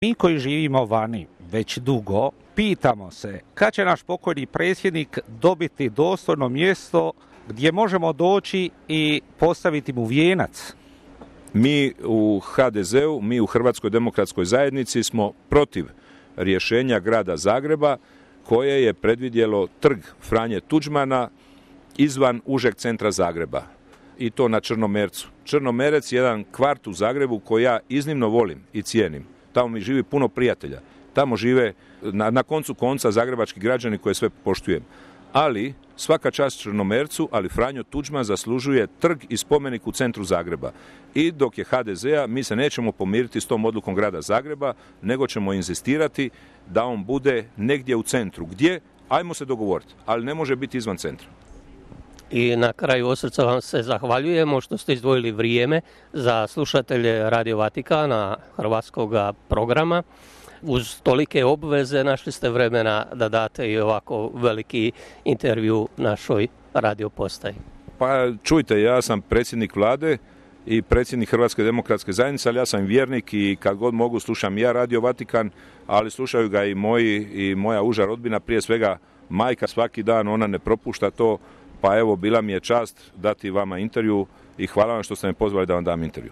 Mi koji živimo vani već dugo, pitamo se kad će naš pokojni predsjednik dobiti dostojno mjesto gdje možemo doći i postaviti mu vijenac. Mi u HDZ-u, mi u Hrvatskoj demokratskoj zajednici smo protiv rješenja grada Zagreba koje je predvidjelo trg Franje Tuđmana izvan užeg centra Zagreba i to na Črnomercu. Črnomerec je jedan kvart u Zagrebu koji ja iznimno volim i cijenim. Tamo mi živi puno prijatelja. Tamo žive na koncu konca zagrebački građani koje sve poštujem. Ali svaka čast Črnomercu, ali Franjo Tuđman zaslužuje trg i spomenik u centru Zagreba. I dok je HDZ-a, mi se nećemo pomiriti s tom odlukom grada Zagreba, nego ćemo inzistirati da on bude negdje u centru. Gdje? Ajmo se dogovoriti, ali ne može biti izvan centra. I na kraju od srca vam se zahvaljujemo što ste izdvojili vrijeme za slušatelje Radio Vatikana, hrvatskog programa. Uz tolike obveze našli ste vremena da date i ovako veliki intervju našoj radio postaji. Pa čujte, ja sam predsjednik vlade i predsjednik Hrvatske demokratske zajednice, ali ja sam vjernik i kad god mogu slušam ja Radio Vatikan, ali slušaju ga i moja uža rodbina, prije svega majka svaki dan, ona ne propušta to, pa evo bila mi je čast dati vama intervju i hvala vam što ste me pozvali da vam dam intervju.